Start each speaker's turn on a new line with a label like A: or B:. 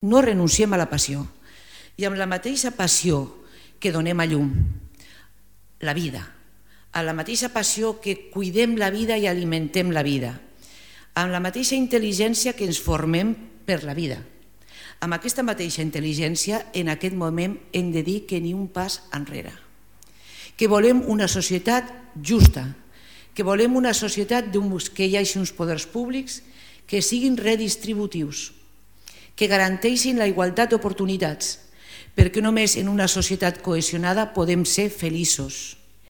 A: no renunciem a la passió. I amb la mateixa passió que donem a llum la vida, amb la mateixa passió que cuidem la vida i alimentem la vida, amb la mateixa intel·ligència que ens formem per la vida, amb aquesta mateixa intel·ligència en aquest moment hem de dir que ni un pas enrere, que volem una societat justa, que volem una societat que hi hagi uns poders públics que siguin redistributius, que garanteixin la igualtat d'oportunitats, perquè només en una societat cohesionada podem ser feliços.